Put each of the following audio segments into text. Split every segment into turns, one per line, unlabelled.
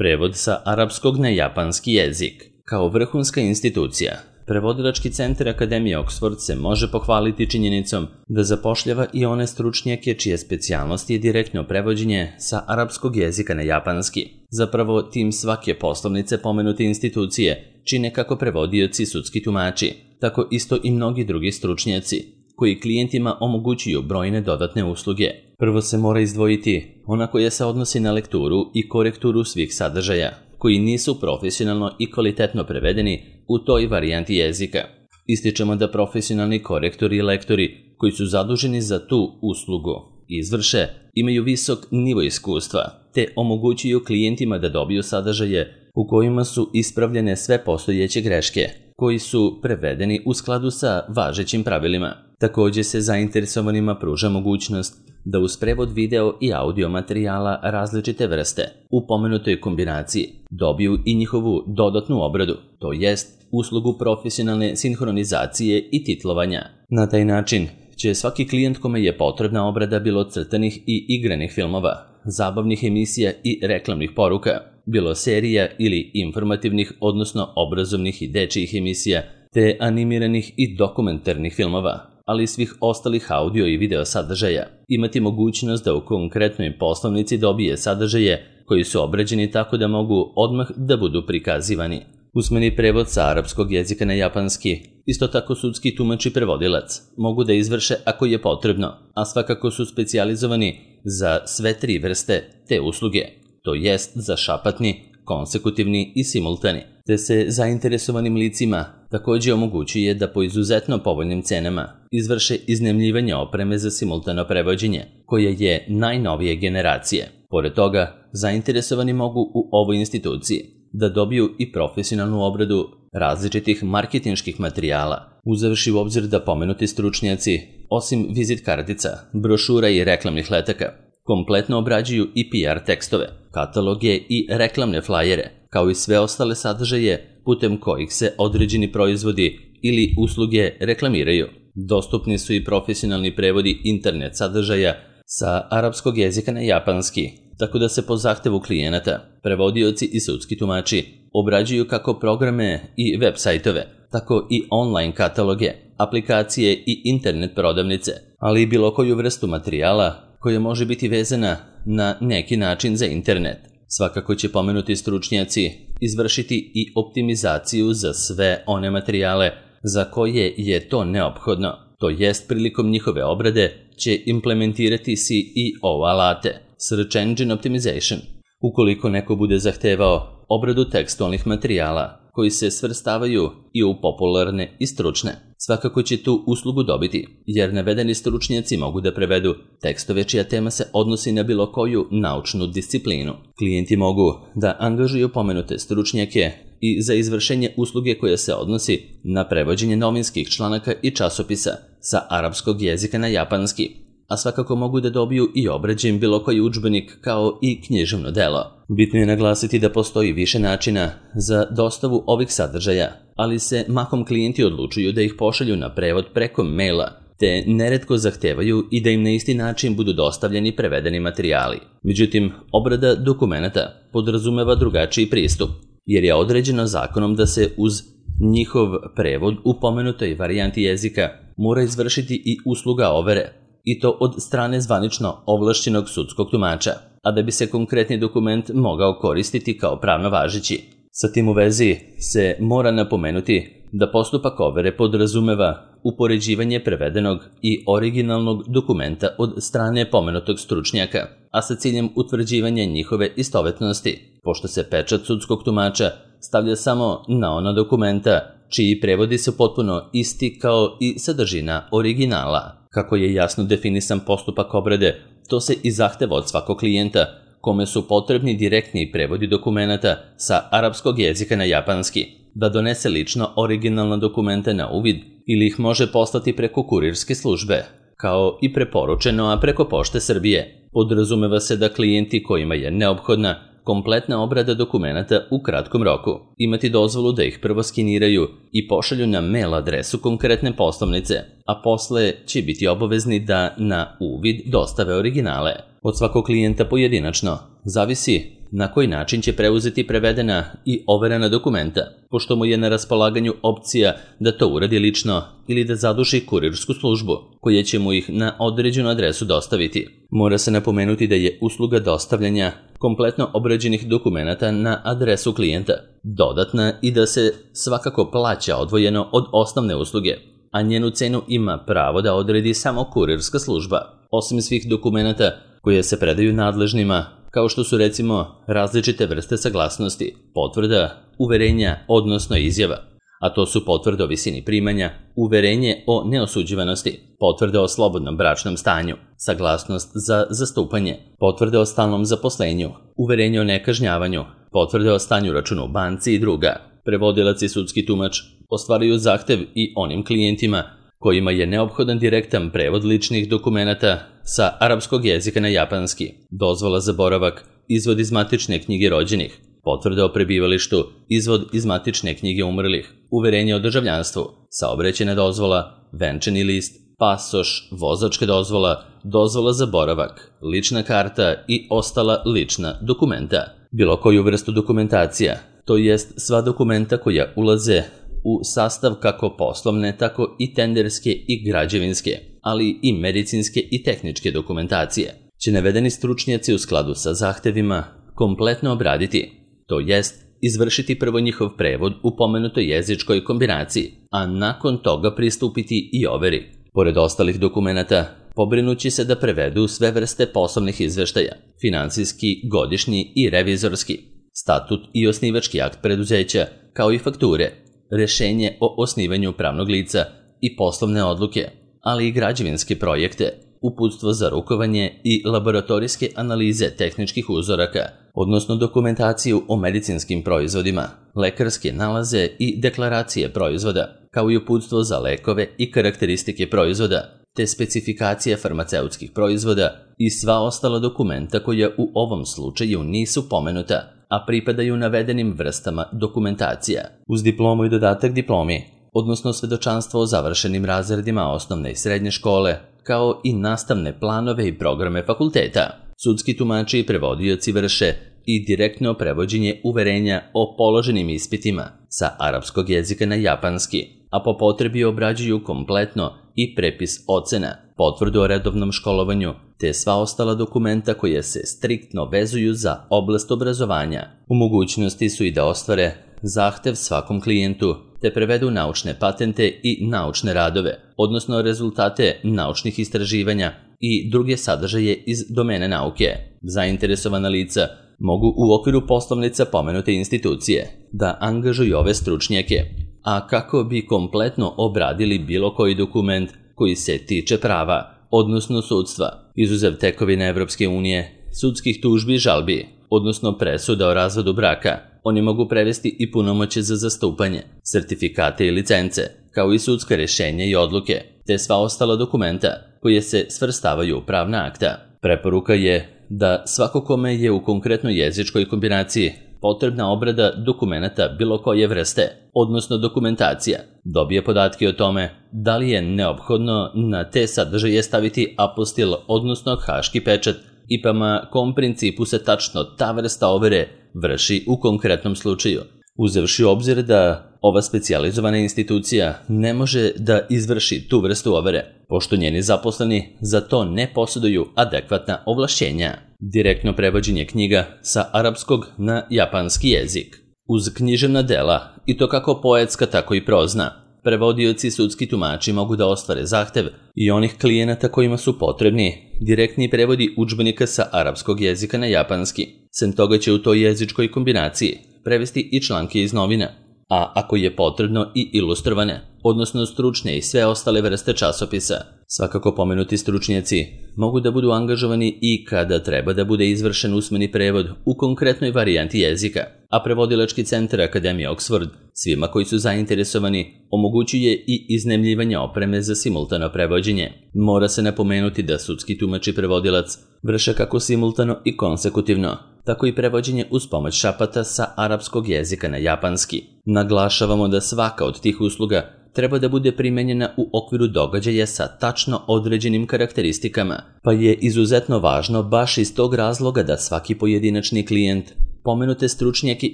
Prevod sa arapskog na japanski jezik. Kao vrhunska institucija, Prevodilački centar Akademije Oxford se može pohvaliti činjenicom da zapošljava i one stručnjake čije specijalnost je direktno prevođenje sa arapskog jezika na japanski. Zapravo, tim svake poslovnice pomenute institucije čine kako prevodioci sudski tumači, tako isto i mnogi drugi stručnjaci, koji klijentima omogućuju brojne dodatne usluge. Prvo se mora izdvojiti ona koja se odnosi na lekturu i korekturu svih sadržaja, koji nisu profesionalno i kvalitetno prevedeni u toj varijanti jezika. Ističemo da profesionalni korektori i lektori koji su zaduženi za tu uslugu izvrše, imaju visok nivo iskustva, te omogućuju klijentima da dobiju sadržaje u kojima su ispravljene sve postojeće greške, koji su prevedeni u skladu sa važećim pravilima. Također se zainteresovanima pruža mogućnost da uz prevod video i audio materijala različite vrste u pomenutoj kombinaciji dobiju i njihovu dodatnu obradu, to jest uslugu profesionalne sinhronizacije i titlovanja. Na taj način će svaki klijent kome je potrebna obrada bilo crtanih i igranih filmova, zabavnih emisija i reklamnih poruka, bilo serija ili informativnih odnosno obrazovnih i dečijih emisija, te animiranih i dokumentarnih filmova, ali i svih ostalih audio i video sadržaja, imati mogućnost da u konkretnoj poslovnici dobije sadržaje koji su obrađeni tako da mogu odmah da budu prikazivani. Usmeni prevod sa arapskog jezika na japanski, isto tako sudski tumač i prevodilac, mogu da izvrše ako je potrebno, a svakako su specijalizovani za sve tri vrste te usluge, to jest za šapatni, konsekutivni i simultani, te se zainteresovanim licima također omogućuje da po izuzetno povoljnim cenama izvrše iznajmljivanje opreme za simultano prevođenje, koja je najnovije generacije. Pored toga, zainteresovani mogu u ovoj instituciji da dobiju i profesionalnu obradu različitih marketinških materijala, uzevši u obzir da pomenuti stručnjaci, osim vizit kartica, brošura i reklamnih letaka, kompletno obrađuju i PR tekstove, kataloge i reklamne flajere, kao i sve ostale sadržaje putem kojih se određeni proizvodi ili usluge reklamiraju. Dostupni su i profesionalni prevodi internet sadržaja sa arapskog jezika na japanski, tako da se po zahtevu klijenata, prevodioci i sudski tumači obrađuju kako programe i web sajtove, tako i online kataloge, aplikacije i internet prodavnice, ali i bilo koju vrstu materijala koja može biti vezana na neki način za internet. Svakako će pomenuti stručnjaci izvršiti i optimizaciju za sve one materijale za koje je to neophodno, to jest prilikom njihove obrade će implementirati SEO alate, Search Engine Optimization. Ukoliko neko bude zahtevao obradu tekstualnih materijala koji se svrstavaju i u popularne i stručne, svakako će tu uslugu dobiti, jer navedeni stručnjaci mogu da prevedu tekstove čija tema se odnosi na bilo koju naučnu disciplinu. Klijenti mogu da angažuju pomenute stručnjake i za izvršenje usluge koja se odnosi na prevođenje novinskih članaka i časopisa sa arapskog jezika na japanski, a svakako mogu da dobiju i obrađen bilo koji udžbenik kao i književno delo. Bitno je naglasiti da postoji više načina za dostavu ovih sadržaja, ali se mahom klijenti odlučuju da ih pošalju na prevod preko maila, te neretko zahtevaju i da im na isti način budu dostavljeni prevedeni materijali. Međutim, obrada dokumenata podrazumeva drugačiji pristup, jer je određeno zakonom da se uz njihov prevod u pomenutoj varijanti jezika mora izvršiti i usluga overe, i to od strane zvanično ovlašćenog sudskog tumača, a da bi se konkretni dokument mogao koristiti kao pravno važeći. Sa tim u vezi se mora napomenuti da postupak overe podrazumeva upoređivanje prevedenog i originalnog dokumenta od strane pomenutog stručnjaka, a sa ciljem utvrđivanja njihove istovetnosti, pošto se pečat sudskog tumača stavlja samo na ona dokumenta čiji prevodi su potpuno isti kao i sadržina originala. Kako je jasno definisan postupak obrade, to se i zahteva od svakog klijenta kome su potrebni direktni prevodi dokumenata sa arapskog jezika na japanski, da donese lično originalna dokumenta na uvid ili ih može poslati preko kurirske službe, kao i preporučeno, a preko Pošte Srbije. Podrazumeva se da klijenti kojima je neophodna kompletna obrada dokumenata u kratkom roku imati dozvolu da ih prvo skeniraju i pošalju na mail adresu konkretne poslovnice, a posle će biti obavezni da na uvid dostave originale. Od svakog klijenta pojedinačno zavisi na koji način će preuzeti prevedena i overena dokumenta, pošto mu je na raspolaganju opcija da to uradi lično ili da zaduži kurirsku službu, koja će mu ih na određenu adresu dostaviti. Mora se napomenuti da je usluga dostavljanja kompletno obrađenih dokumenata na adresu klijenta dodatna i da se svakako plaća odvojeno od osnovne usluge, a njenu cenu ima pravo da odredi samo kurirska služba. Osim svih dokumenata koje se predaju nadležnima, kao što su recimo različite vrste saglasnosti, potvrda, uverenja, odnosno izjava, a to su potvrda o visini primanja, uverenje o neosuđivanosti, potvrda o slobodnom bračnom stanju, saglasnost za zastupanje, potvrda o stalnom zaposlenju, uverenje o nekažnjavanju, potvrda o stanju računa u banci i druga. Prevodilac i sudski tumač ostvaruju zahtev i onim klijentima kojima je neophodan direktan prevod ličnih dokumenata sa arapskog jezika na japanski, dozvola za boravak, izvod iz matične knjige rođenih, potvrda o prebivalištu, izvod iz matične knjige umrlih, uverenje o državljanstvu, saobraćajna dozvola, venčani list, pasoš, vozačka dozvola, dozvola za boravak, lična karta i ostala lična dokumenta. Bilo koju vrstu dokumentacija, to jest sva dokumenta koja ulaze u sastav kako poslovne, tako i tenderske i građevinske, ali i medicinske i tehničke dokumentacije, će navedeni stručnjaci u skladu sa zahtevima kompletno obraditi, to jest izvršiti prvo njihov prevod u pomenutoj jezičkoj kombinaciji, a nakon toga pristupiti i overi. Pored ostalih dokumenata, pobrinući se da prevedu sve vrste poslovnih izveštaja, finansijski, godišnji i revizorski, statut i osnivački akt preduzeća, kao i fakture, rešenje o osnivanju pravnog lica i poslovne odluke, ali i građevinske projekte, uputstvo za rukovanje i laboratorijske analize tehničkih uzoraka, odnosno dokumentaciju o medicinskim proizvodima, lekarske nalaze i deklaracije proizvoda, kao i uputstvo za lekove i karakteristike proizvoda, te specifikacije farmaceutskih proizvoda i sva ostala dokumenta koja u ovom slučaju nisu pomenuta, a pripadaju navedenim vrstama dokumentacija, uz diplomu i dodatak diplomi, odnosno svedočanstvo o završenim razredima osnovne i srednje škole, kao i nastavne planove i programe fakulteta. Sudski tumači i prevodioci vrše i direktno prevođenje uverenja o položenim ispitima sa arapskog jezika na japanski, a po potrebi obrađuju kompletno i prepis ocena, potvrdu o redovnom školovanju, te sva ostala dokumenta koje se striktno vezuju za oblast obrazovanja. U mogućnosti su i da ostvare zahtev svakom klijentu, te prevedu naučne patente i naučne radove, odnosno rezultate naučnih istraživanja i druge sadržaje iz domene nauke. Zainteresovana lica mogu u okviru poslovnica pomenute institucije da angažuju ove stručnjake, a kako bi kompletno obradili bilo koji dokument koji se tiče prava, odnosno sudstva, izuzev tekovine Evropske unije, sudskih tužbi i žalbi, odnosno presuda o razvodu braka. Oni mogu prevesti i punomoćje za zastupanje, sertifikate i licence, kao i sudska rješenja i odluke, te sva ostala dokumenta koje se svrstavaju u pravna akta. Preporuka je da svako kome je u konkretnoj jezičkoj kombinaciji potrebna obrada dokumenata bilo koje vrste, odnosno dokumentacija, dobije podatke o tome da li je neophodno na te sadržaje staviti apostil, odnosno haški pečat, i prema kom principu se tačno ta vrsta overe vrši u konkretnom slučaju, uzevši u obzir da ova specijalizovana institucija ne može da izvrši tu vrstu overe, pošto njeni zaposleni za to ne posjeduju adekvatna ovlašćenja. Direktno prevođenje knjiga sa arapskog na japanski jezik. Uz književna dela, i to kako poetska tako i prozna, prevodioci i sudski tumači mogu da ostvare zahtev i onih klijenata kojima su potrebni direktni prevodi udžbenika sa arapskog jezika na japanski. Sem toga će u toj jezičkoj kombinaciji prevesti i članke iz novina, a ako je potrebno i ilustrovane, odnosno stručne i sve ostale vrste časopisa. Svakako pomenuti stručnjaci mogu da budu angažovani i kada treba da bude izvršen usmeni prevod u konkretnoj varijanti jezika, a prevodilački centar Akademije Oxford svima koji su zainteresovani omogućuje i iznajmljivanje opreme za simultano prevođenje. Mora se napomenuti da sudski tumač i prevodilac vrše kako simultano i konsekutivno, tako i prevođenje uz pomoć šapata sa arapskog jezika na japanski. Naglašavamo da svaka od tih usluga treba da bude primenjena u okviru događaja sa tačno određenim karakteristikama, pa je izuzetno važno baš iz tog razloga da svaki pojedinačni klijent pomenute stručnjake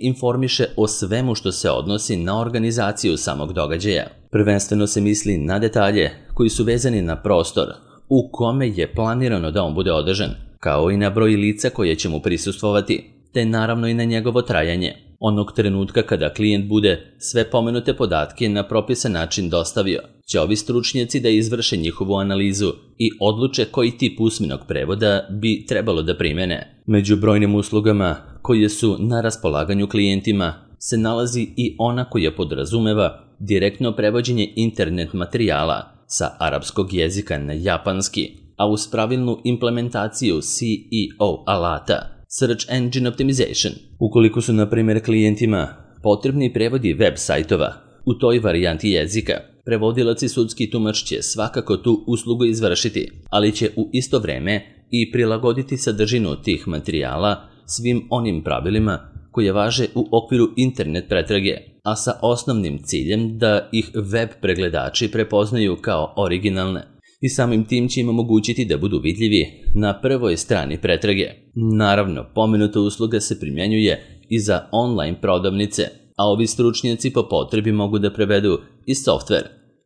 informiše o svemu što se odnosi na organizaciju samog događaja. Prvenstveno se misli na detalje koji su vezani na prostor u kome je planirano da on bude održan, kao i na broj lica koje će mu prisustvovati, te naravno i na njegovo trajanje. Onog trenutka kada klijent bude sve pomenute podatke na propisan način dostavio, će ovi stručnjaci da izvrše njihovu analizu i odluče koji tip usmenog prevoda bi trebalo da primene. Među brojnim uslugama koje su na raspolaganju klijentima se nalazi i ona koja podrazumeva direktno prevođenje internet materijala sa arapskog jezika na japanski, a uz pravilnu implementaciju SEO alata, Search Engine Optimization. Ukoliko su, na primjer, klijentima potrebni prevodi web sajtova u toj varijanti jezika, prevodilac i sudski tumač će svakako tu uslugu izvršiti, ali će u isto vreme i prilagoditi sadržinu tih materijala svim onim pravilima koje važe u okviru internet pretrage, a sa osnovnim ciljem da ih web pregledači prepoznaju kao originalne i samim tim će im omogućiti da budu vidljivi na prvoj strani pretrage. Naravno, pomenuta usluga se primjenjuje i za online prodavnice, a ovi stručnjaci po potrebi mogu da prevedu i softver,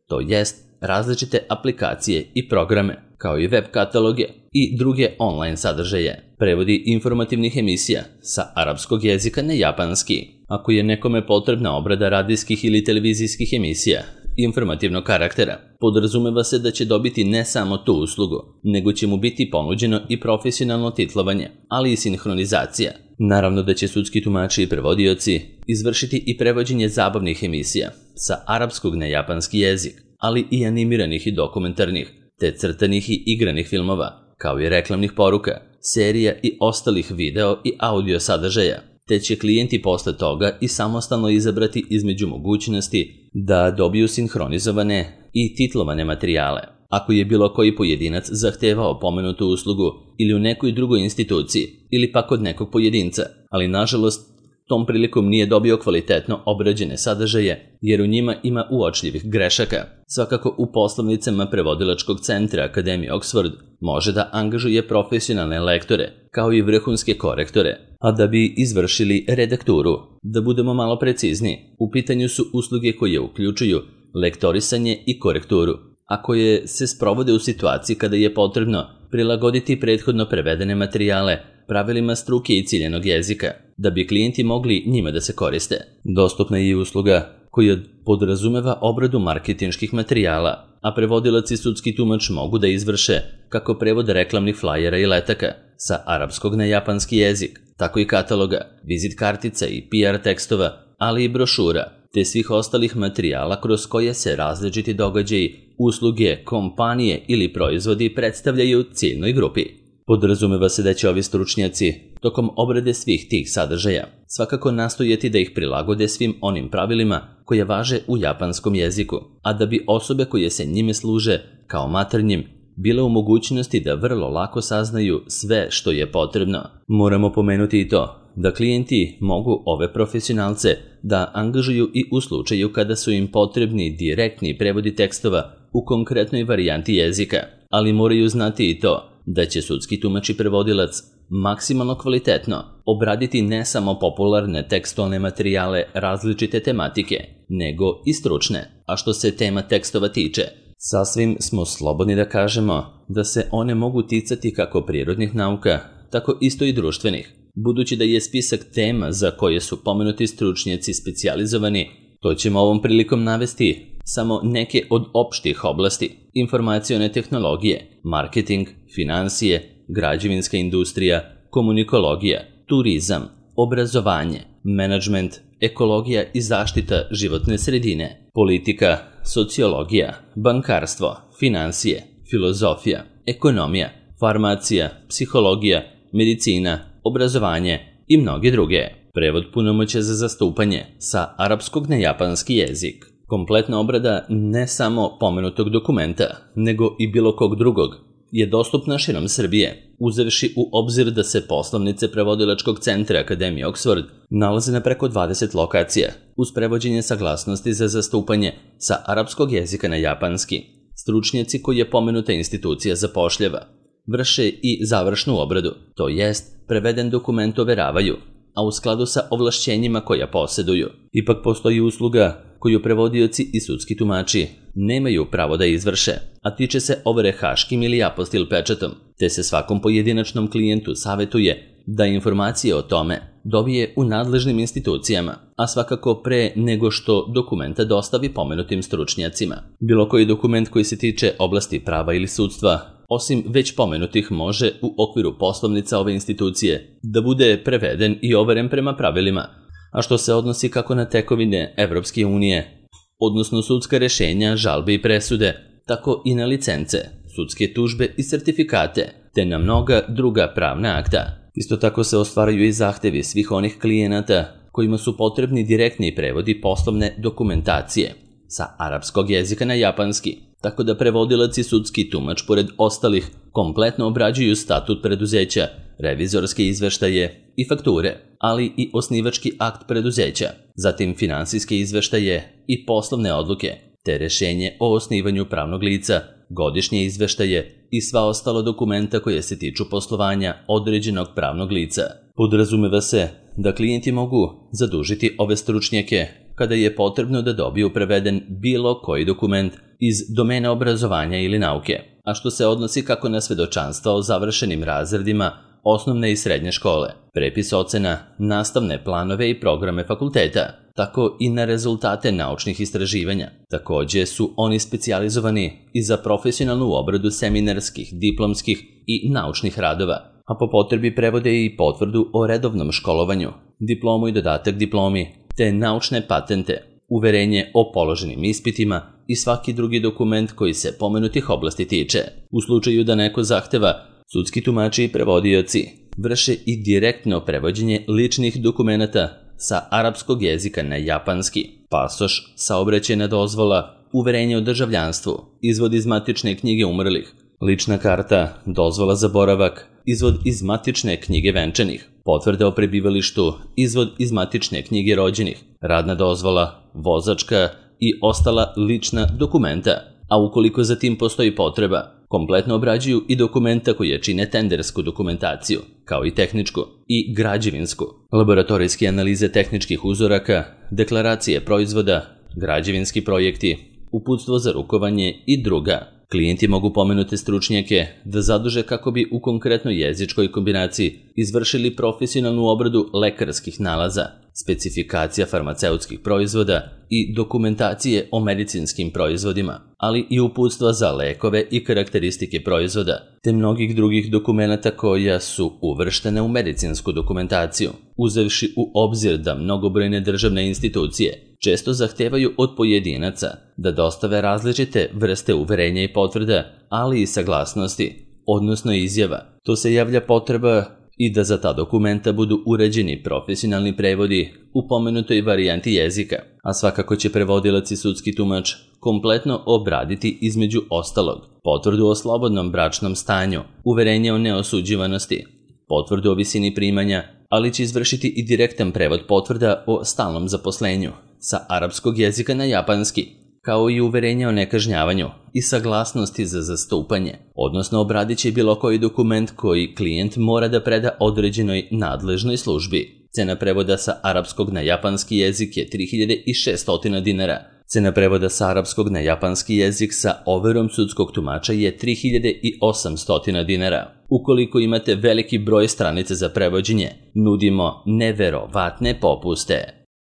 to jest različite aplikacije i programe, kao i web kataloge i druge online sadržaje. Prevodi informativnih emisija sa arapskog jezika na japanski. Ako je nekome potrebna obrada radijskih ili televizijskih emisija informativnog karaktera, podrazumeva se da će dobiti ne samo tu uslugu, nego će mu biti ponuđeno i profesionalno titlovanje, ali i sinhronizacija. Naravno da će sudski tumači i prevodioci izvršiti i prevođenje zabavnih emisija sa arapskog na japanski jezik, ali i animiranih i dokumentarnih, te crtanih i igranih filmova, kao i reklamnih poruka, serija i ostalih video i audio sadržaja, te će klijenti posle toga i samostalno izabrati između mogućnosti da dobiju sinhronizovane i titlovane materijale. Ako je bilo koji pojedinac zahtevao pomenutu uslugu ili u nekoj drugoj instituciji ili pak od nekog pojedinca, ali nažalost tom prilikom nije dobio kvalitetno obrađene sadržaje jer u njima ima uočljivih grešaka, svakako u poslovnicama prevodilačkog centra Akademije Oxford može da angažuje profesionalne lektore kao i vrhunske korektore, a da bi izvršili redakturu. Da budemo malo precizniji, u pitanju su usluge koje uključuju lektorisanje i korekturu, a koje se sprovode u situaciji kada je potrebno prilagoditi prethodno prevedene materijale pravilima struke i ciljenog jezika, da bi klijenti mogli njima da se koriste. Dostupna je i usluga koja podrazumeva obradu marketinških materijala, a prevodilac i sudski tumač mogu da izvrše kako prevod reklamnih flajera i letaka sa arapskog na japanski jezik, tako i kataloga, vizit kartica i PR tekstova, ali i brošura, te svih ostalih materijala kroz koje se različiti događaji, usluge, kompanije ili proizvodi predstavljaju ciljnoj grupi. Podrazumeva se da će ovi stručnjaci tokom obrade svih tih sadržaja svakako nastojati da ih prilagode svim onim pravilima koje važe u japanskom jeziku, a da bi osobe koje se njime služe kao maternjim bile u mogućnosti da vrlo lako saznaju sve što je potrebno. Moramo pomenuti i to da klijenti mogu ove profesionalce da angažuju i u slučaju kada su im potrebni direktni prevodi tekstova u konkretnoj varijanti jezika, ali moraju znati i to da će sudski tumač i prevodilac maksimalno kvalitetno obraditi ne samo popularne tekstualne materijale različite tematike, nego i stručne. A što se tema tekstova tiče, sasvim smo slobodni da kažemo da se one mogu ticati kako prirodnih nauka, tako isto i društvenih. Budući da je spisak tema za koje su pomenuti stručnjaci specijalizovani, to ćemo ovom prilikom navesti samo neke od opštih oblasti: informacione tehnologije, marketing, finansije, građevinska industrija, komunikologija, turizam, obrazovanje, menadžment, ekologija i zaštita životne sredine, politika, sociologija, bankarstvo, finansije, filozofija, ekonomija, farmacija, psihologija, medicina, obrazovanje i mnoge druge. Prevod punomoćja za zastupanje sa arapskog na japanski jezik. Kompletna obrada ne samo pomenutog dokumenta, nego i bilo kog drugog je dostupna širom Srbije, uzevši u obzir da se poslovnice prevodilačkog centra Akademije Oxford nalaze na preko 20 lokacija, uz prevođenje saglasnosti za zastupanje sa arapskog jezika na japanski. Stručnjaci koji je pomenuta institucija zapošljava vrše i završnu obradu, to jest preveden dokument overavaju, a u skladu sa ovlašćenjima koja posjeduju. Ipak postoji usluga koju prevodioci i sudski tumači nemaju pravo da izvrše, a tiče se overe haškim ili apostil pečatom, te se svakom pojedinačnom klijentu savetuje da informacije o tome dobije u nadležnim institucijama, a svakako pre nego što dokumenta dostavi pomenutim stručnjacima. Bilo koji dokument koji se tiče oblasti prava ili sudstva, osim već pomenutih, može u okviru poslovnica ove institucije da bude preveden i overen prema pravilima, a što se odnosi kako na tekovine Evropske unije, odnosno sudska rešenja, žalbe i presude, tako i na licence, sudske tužbe i sertifikate, te na mnoga druga pravna akta. Isto tako se ostvaraju i zahtevi svih onih klijenata kojima su potrebni direktni prevodi poslovne dokumentacije sa arapskog jezika na japanski, tako da prevodilac i sudski tumač pored ostalih kompletno obrađuju statut preduzeća, revizorske izveštaje i fakture, ali i osnivački akt preduzeća, zatim finansijske izveštaje i poslovne odluke, te rešenje o osnivanju pravnog lica, godišnje izveštaje i sva ostala dokumenta koje se tiču poslovanja određenog pravnog lica. Podrazumeva se da klijenti mogu zadužiti ove stručnjake kada je potrebno da dobiju preveden bilo koji dokument iz domena obrazovanja ili nauke, a što se odnosi kako na svedočanstva o završenim razredima osnovne i srednje škole, prepis ocena, nastavne planove i programe fakulteta, tako i na rezultate naučnih istraživanja. Takođe su oni specijalizovani i za profesionalnu obradu seminarskih, diplomskih i naučnih radova, a po potrebi prevode i potvrdu o redovnom školovanju, diplomu i dodatak diplomi, te naučne patente, uverenje o položenim ispitima i svaki drugi dokument koji se pomenutih oblasti tiče. U slučaju da neko zahteva, sudski tumači i prevodioci vrše i direktno prevođenje ličnih dokumenata sa arapskog jezika na japanski, pasoš, saobraćajna dozvola, uverenje o državljanstvu, izvod iz matične knjige umrlih, lična karta, dozvola za boravak, izvod iz matične knjige venčanih, potvrda o prebivalištu, izvod iz matične knjige rođenih, radna dozvola, vozačka i ostala lična dokumenta, a ukoliko za tim postoji potreba, kompletno obrađuju i dokumenta koje čine tendersku dokumentaciju, kao i tehničku i građevinsku, laboratorijske analize tehničkih uzoraka, deklaracije proizvoda, građevinski projekti, uputstvo za rukovanje i druga. Klijenti mogu pomenute stručnjake da zaduže kako bi u konkretnoj jezičkoj kombinaciji izvršili profesionalnu obradu lekarskih nalaza, specifikacija farmaceutskih proizvoda i dokumentacije o medicinskim proizvodima, ali i uputstva za lekove i karakteristike proizvoda, te mnogih drugih dokumenata koja su uvrštene u medicinsku dokumentaciju, uzevši u obzir da mnogobrojne državne institucije često zahtevaju od pojedinaca da dostave različite vrste uverenja i potvrda, ali i saglasnosti, odnosno izjava. To se javlja potreba i da za ta dokumenta budu uređeni profesionalni prevodi u pomenutoj varijanti jezika, a svakako će prevodilac i sudski tumač kompletno obraditi između ostalog potvrdu o slobodnom bračnom stanju, uverenje o neosuđivanosti, potvrdu o visini primanja, ali će izvršiti i direktan prevod potvrda o stalnom zaposlenju sa arapskog jezika na japanski, kao i uverenje o nekažnjavanju i saglasnosti za zastupanje, odnosno obradit će bilo koji dokument koji klijent mora da preda određenoj nadležnoj službi. Cena prevoda sa arapskog na japanski jezik je 3600 dinara. Cena prevoda sa arapskog na japanski jezik sa overom sudskog tumača je 3800 dinara. Ukoliko imate veliki broj stranica za prevođenje, nudimo neverovatne popuste.